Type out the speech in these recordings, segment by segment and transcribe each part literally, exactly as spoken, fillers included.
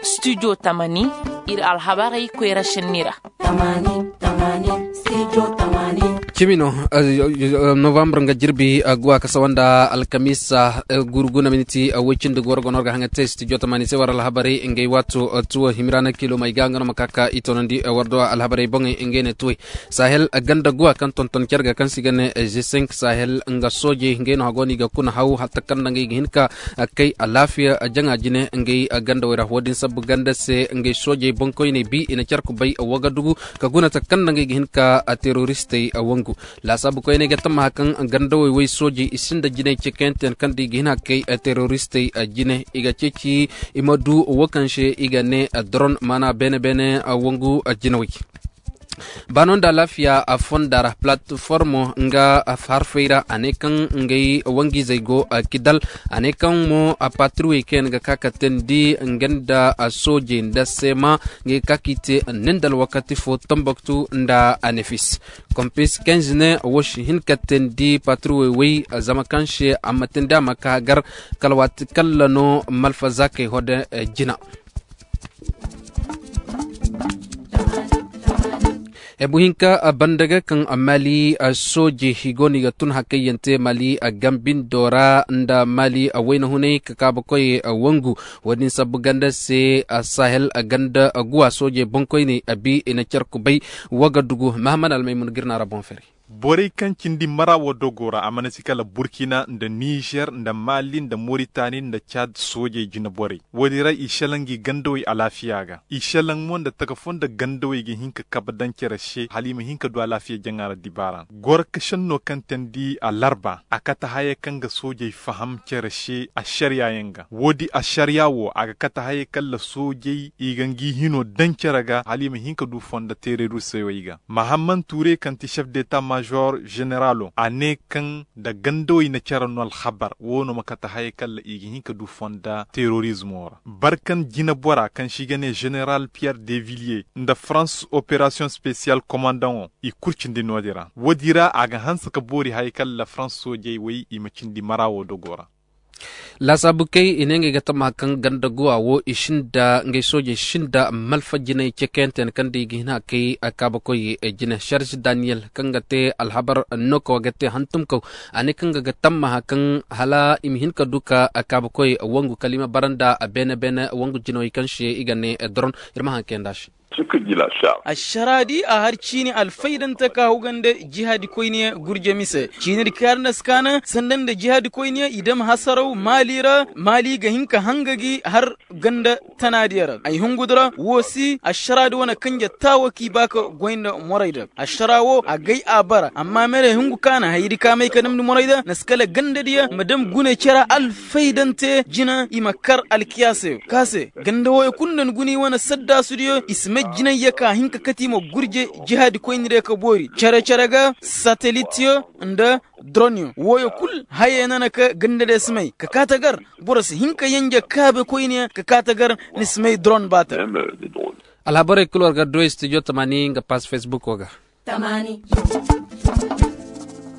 Studio Tamani, iri alhabarey koyra senni ra. Cimi no, novambar nga jirbi guwa ka sawa nda alkamiisa, gurguna miniti woy cindi ga war ga no war ga haŋa te studio tamani se war alhabarey ngey waato tuwo himiraana kilo may ga nga no ma ka ka i toonandi war do alhabarey boŋey ngey ne tuwey. Sahel ganda guwa kaŋ tonton care ga kaŋ se i ga ne g cinq sahel nga soojey ngey no hago no i ga kuna haw hatta kaŋ nda ngey ga hin ka kay alaafiya jaŋa jine ngey ganda wey ra wo- din sabbu ganda se ngey soojey boŋkoyney bi i na care kubay wagadugu ka guna taka kaŋ nda ngey ga hin ka teroristey wangu. Laasaabu koyney ga tammaha kaŋ ganda wey wey soojey i sinda jinay cekayanteyaŋ kaŋ da i ga hin ka kay teroristey jine i ga ceeci i ma du wo kaŋ se i ga ne doron maana beene beene wangu jinawey. Baano nda alaafiya fonda ra platformo nga harfey ra a ne kaŋ ngey wangiizey go kidal a ne kaŋ mo patriwey kaŋ yaŋ ga ka ka teendi nga nda soojey nda seema ngey ga ka ka i te nindal wakati fo tambaktu nda anefis kompis kenz ne wo si hin ka teendi patriwey wey zama kaŋ se a ma teendi a ma ka gar kala waati kala no malfa zaakey hode jina. Hebu hinka banda ga kaŋ mali soojey i go no i ga tun hakkayyante mali gambindo ra nda mali wayna hunay ka kaabakoy wangu. Wo- din sabbu ganda se sahel ganda guwa soojey boŋkoyney a bi i na care kubay wagadugu mahamad almaymun ga iri no a ra boŋ fari. Borey kaŋ cindi mara wo dogo ra a mana si kala burkina nda nizer nda mali nda moritani nda cad soojey jine borey wo- din ra i selaŋ i gandawey alaafiya ga i selaŋ mo nda taka fo nda gandawey ga hin ka kabe daŋ care se hala i ma hin ka du alaafiya jaŋa ra dibaara. Goro ka senno kaŋ teendi alarba a kate haya kaŋ ga soojey faham care se ašariya yaŋ ga wo- din ašariya wo a ga kate haya kaŋ nda soojey i ga ngi hino daŋ care ga hala i ma hin ka du fonda teereeru se wey ga mahamman ture kaŋ ti chef d'etat major generalo a ne kaŋ nda gandawey na care no alhabar wo no ma kate haya kaŋ nda i ga hin ka du fonda teerorizmo ra barkan jinabora kaŋ se i ga ne general pierre devillier nda france operation special kommandaŋo i kulu cindi no- din ra wo- din ra a ga hanse ka boori haya kaŋ nda france soojey wey i ma cindi mara wo dogo ra. Laasaabu kay i ne ngey ga tama kaŋ ganda guwa wo i sinda ngey soojey sinda malfa jinay cekayante yaŋ kaŋ da i ga hin a kay kaabakoy jine charge daniyel kaŋ ga te alhabar nookawa ga te hantumkaw a ne kaŋ ga ga tammaha kaŋ hala i ma hin ka du ka kaabakoy wangu kala i ma bara nda beene beene wangu jinawey kaŋ se i ga ne doron. Iri ma haŋ kayanda se. Ašara di a har ciini alfaydante ka hugande jihaadi koyne gurjami se ciini di kaarnda si kaana sanda nda jihaadi koyne i dam hasaraw maali ra maali ga hin ka hanga gi har ganda tanaadiya ra ay hungu di ra wo si ašara di wane kanje taawo k'i ba ka goy nda moray da ašara wo a gay a bara amma mere hungu kaana hayri ka may ka damndi moray da na si kala ganda diya ma dam gune cera alfaydante jina i ma kar alkiyaasa yaŋ ka se ganda wooyo kulu nda ni guni wane saddaasu diyo i si may jinay ya ka hin ka kati ma gurje jihaadi koyni diya ka boori cere cere ga satelit yo nda dron yo wooyo kulu haya yaŋ na ka ganda diya si may ka kaata gar boro si hin ka yanja kaabe koyne ka kaata gar ni si may dron baata. Alhabarey kulu war ga du studio tamani nga pass facebook wo ga.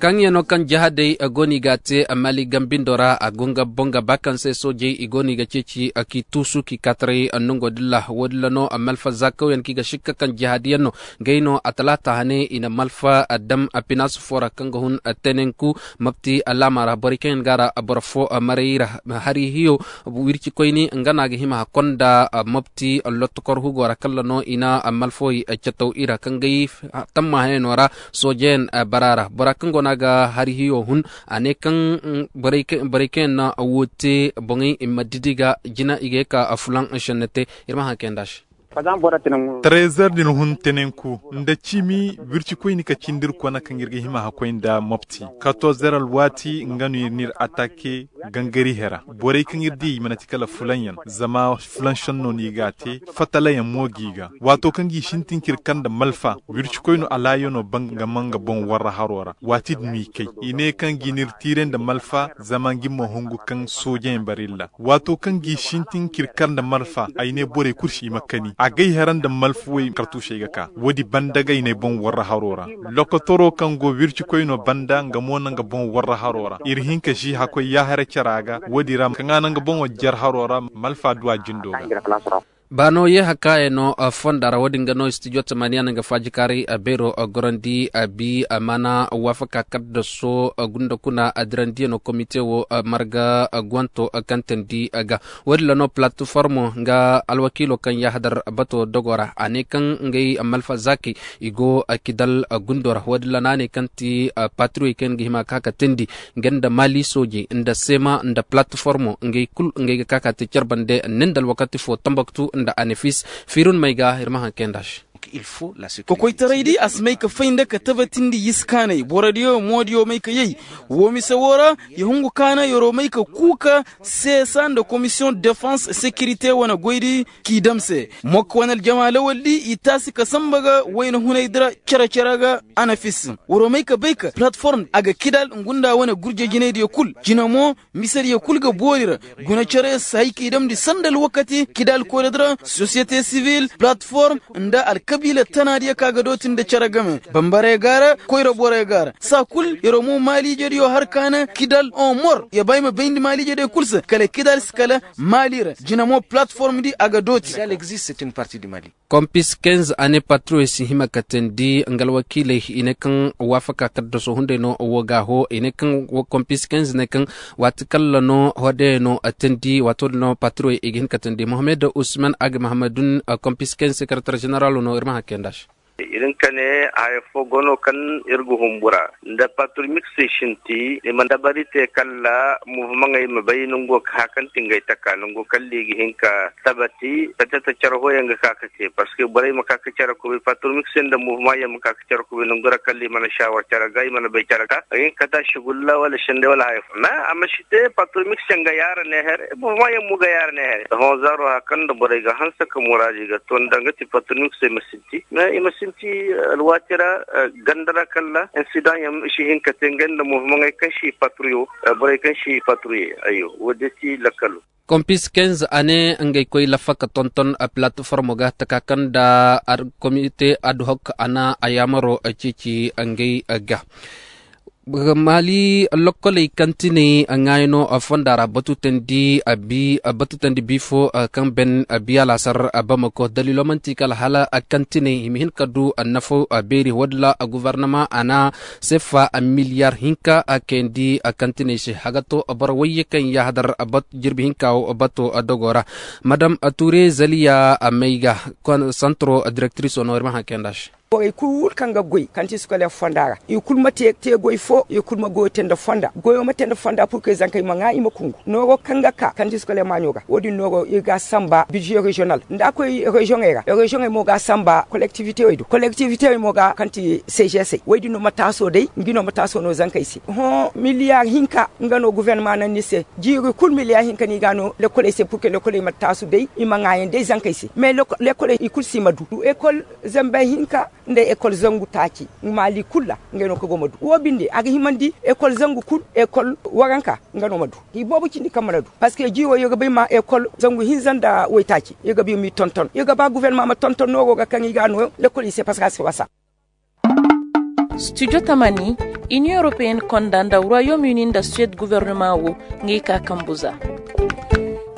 Kaŋ yaŋ no kaŋ jahadey go no i ga a te mali gambindo ra a go nga boŋ ga ba kaŋ se soojey i go no i ga ceeci k'i tuusu k'i kaataray nongo dilla wo- din ra no malfa zaakawyaŋ kaŋ i ga sikka kaŋ jahadiyaŋ no. Ngey no a talaata hane i na malfa dam pinaasu fo ra kaŋ ga hun tenenku mapti alaama ra borey kaŋ yaŋ ga a ra boro fo maray i ra hari hiyo wirci koyne nga no a ga hima hakkonda mopti lotto kor hugo ra kala no i na malfawey cataw i ra kaŋ gay tamma hayano ra soojeyaŋ bara ra bora kaŋ go no a ga hari hiyo hun a ne kaŋ borey kaŋ yaŋ na wo te boŋey i ma didi ga jina i ga ye ka fulaŋ senne te. Iri ma haŋ kayanda se. Trezer din hun tenenku nda cimi wirci koyni ka cindi iri kona kaŋ iri ga hima hakkoy nda mopti katorzer alwaati nga no iri n'iri atake gangari hera borey kaŋ iri di i mana ti kala fulaŋ yaŋ zama fulaŋ senno no i ga a te fatala yaŋ mo g'i ga waato kaŋ g'i sintin k'iri kar nda malfa wirci koyno alaayo no ban ga man ga boŋ warra haro ra waati din no i kay i ne kaŋ g'i n'iri tiiray nda malfa zama nga iri ma hungu kaŋ soojeyaŋ barilla waato kaŋ g'i sintin k'iri kar nda malfa ay ne borey kulu si i ma kani. A gay hera nda malfuwey kartuusey ga ka wo- din banda ga i na ay boŋ warra haro ra. Lokotoro kaŋ go wircikoy no banda nga mo na nga boŋ warra haro ra. Iri hin ka si hakkoy yaaharay cara ga wo- din ra kaŋ a na nga boŋo jer haro ra. Malfa du a jindo ga. Baano ye hakkaayey no fonda ra wo- din ga no studio tamaniya na nga faajikaari beero gorandi bi mana waafaka kaddaso gunda kuna dirandiyano komite wo marga gonto kaŋ tandi ga. Wo- din ra no palatiformo nga alwakiilo kaŋ yaahadar bato dogo ra a ne kaŋ ngey malfa zaakey i go kidal gundo ra wo- din ra no a ne kaŋ ti patriyoy kaŋ ga hima ka ka tandi nga nda maali soojey nda seema nda palatiformo ngey kulu ngey ga ka ka te care bande. Nin da alwakati fo tambaktu nda anefis fiirun may ga iri ma haŋ kay nd'a se. Kokoytaray di a si may ka fay nda ka tabatindi yisi kaanay boro diyo mo diyo may ka yay. Wo mise wo ra ya hungu kaana yaro may ka kuuka seesa nda komisiyoŋ defense sekirite wane goy di k'i dam se. Mokka wane aljama lawal di i taasi ka samba ga wayna hunay dira care care ga. Anafis waro may ka bay ka palatform a ga kidal ngunda wane gurje jinay diya kulu jina mo. Mise diya kulu ga boori ra guna care si hay k'i damndi sanda alwakati kidal koyra dira sosiyete sivil palatform nda alkabiila tana diya ka ga dooti nda care game bambare gaara koyra bore gaara saa kulu yaro mo maaliije diyo har kaana kidal on mor ya ba ay ma bayndi maaliije diya kulu se kala kidal si kala maali ra jina mo palatform di a ga dooti. Kompis kenz ane patroy si hima ka teendi nga alwakiiley i ne kaŋ waafaka kaddaso hunday no wo ga ho i ne kaŋ kompis kenz ne kaŋ waati kalla no hodey no teendi waato din no patroy i ga hin ka teendi mohammed usman ag mahamadun. Kompis kenz sekaratar ženeralo no ir ma hakkey nd'a se. Irin ka ne haya fo go no kaŋ ir ga humbura nda patroy miksey sinti i ma dabari te kalla muhimmaŋey ma bay nango ka hakanti ngey taka nango kalla i ga hin ka tabati. Tacata care hoyaŋ ga ka ka te parceque borey ma ka ka care kubay patroy miksey nda muhimmaŋ yaŋ ma ka ka care kubay nangu ra kalla i mana shawar care ga i mana bay care ga a ga hin ka kata shugulla wala sende wala haya fo na a ma si te patroy miksey ga yaara ne here muhimmaŋ yaŋ mo ga yaara ne here. Sohõ zaaro haya kaŋ nda borey ga hanse ka muraadi ga to nda nga ti patroy miksey ma sinti mais i ma sinti alwaati ra ganda ra kalla insidaŋ yaŋ si hin ka te ngey nda muhimmaŋey kaŋ si patroyo borey kaŋ si patroye. Ayyo wo- din ti lakkalo. Kompis kenz a ne ngey koy lafa ka tonton palatformo ga taka kaŋ nda komite adhok a na a yaamaro ceeci ngey ga. Maali lokkoley kantiney ŋaayano fonda ra batu teendi bi fo kaŋ ben biya laasar bamako daliilo manti kala hala kantiney i ma hin ka du nafo beeri wo- din ra guvarnama a na sefa miliyar hinka kayandi kantiney se haga to boro wayye kaŋ yaahadar jirbi hinka wo bato dogo ra. Madam ture zaliya may ga santro direktriso no ir ma haŋ kayanda se. Borey kulu kaŋ ga goy kanti sukaleer fonda ra i kulu ma te goy fo i kulu ma goyo te nda fonda goyo ma te nda fonda purke zankey ma ŋwa i ma kungu nooro kaŋ ga ka kanti sukaleer maaɲo ra wo- din nooro ir ga a samba bidize reziyonal nda a koy reziyoŋey ra reziyoŋey mo ga a samba kolektivitewey do kolektivitewey mo ga kanti sejesey wo- din no ma taaso day nga no ma taaso no zankey se hõ miliyar hinka nga no guvernama naŋ ni se jiiri kulu miliyar hinka no i ga a no lekoley se purke lekoley ma taasu day i ma ŋwaayaŋ day zankey se mais lekoley i kulu si ma du ekol zambe hinka nda ekol zangu taaci maali kulu ra ngey no kaŋ go ma du wo binde a ga himandi ekol zangu kulu ekol waranka nga no ma du i boobo cindi kaŋ mana du parceque jiiro iri ga ba i ma ekol zangu hinza nda waytaaci iri ga ba i m'i tonton iri ga ba guvernama ma tonton nooro ga kaŋ i ga a no lekoley se parceque a si wasa. Studio tamani, union européenne konda nda royaume uni nda suède gouvernement wo ngey ka kambu za.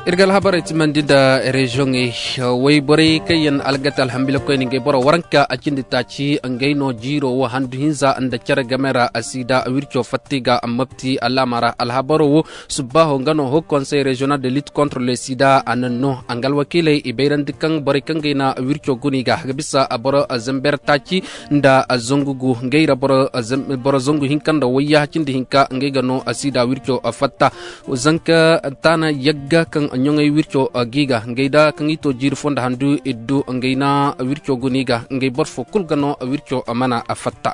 Iri ga alhabarey timandi nda reziyoŋey wayborey kaŋ yaŋ algate alhambilakoyne ngey boro waranka a cindi taaci ngey no jiiro wo handu hinza nda care game ra a si da wirco fatta i ga mapti alaama ra alhabaro wo subbaaho nga no ho konsey reziyonal de lit contre le sida a naŋ no a nga alwakiiley i bayrandi kaŋ borey kaŋ gay na wirco guni ga ga bisa boro zamber taaci nda zangu gu ngey ra boro zangu hinka nda wayya cindi hinka ngey ga no sida wirco fatta. Zanka taana yagga kaŋ ɲoŋey wirco gi ga ngey da kaŋ i to jiiri fo nda handu iddu ngey na wirco guni ga ngey boro fo kulu ga no wirco mana fatta.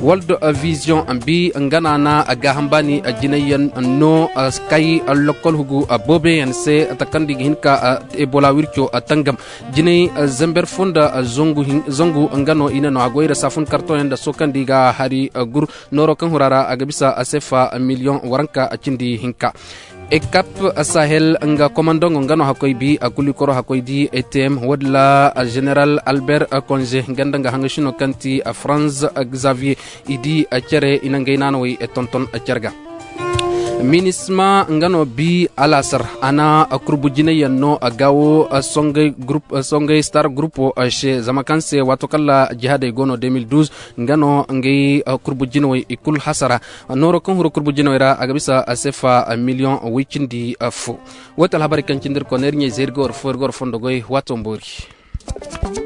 World vision bi nga no a na gaaham baani jinay yaŋ no kay lokkol hugu boobe yaŋ se takandi ga hin ka ebola wirco tangam jinay zamber fo nda zangu nga no i ne no a goy ra saafun kartoŋ yaŋ nda sookandi ga hari gur nooro kaŋ hura ra a ga bisa sefa miliyoŋ waranka cindi hinka. Ekap sahel nga komandongo nga no hakkoy bi a kuli koro hakkoy di etm wadila general albert conge nga nda nga hanga shino kaŋ ti franz xavier i di care i na ngey naanawey tonton care ga. Minisma nga no bi alaasar a na kurbu jinay yaŋ no a gaawo songay star groupo se zama kaŋ se waato kala jihaadey go no deux mille douze nga no ngey kurbu jinawey i kulu hasara. Nooro kaŋ huru kurbu jinawey ra a ga bisa sefa miliyoŋ way cindi fo. Wo ti alhabarey kaŋ cindi iri koy no iri ɲey zeeri ga war fo iri ga war fondo goy waato mboori.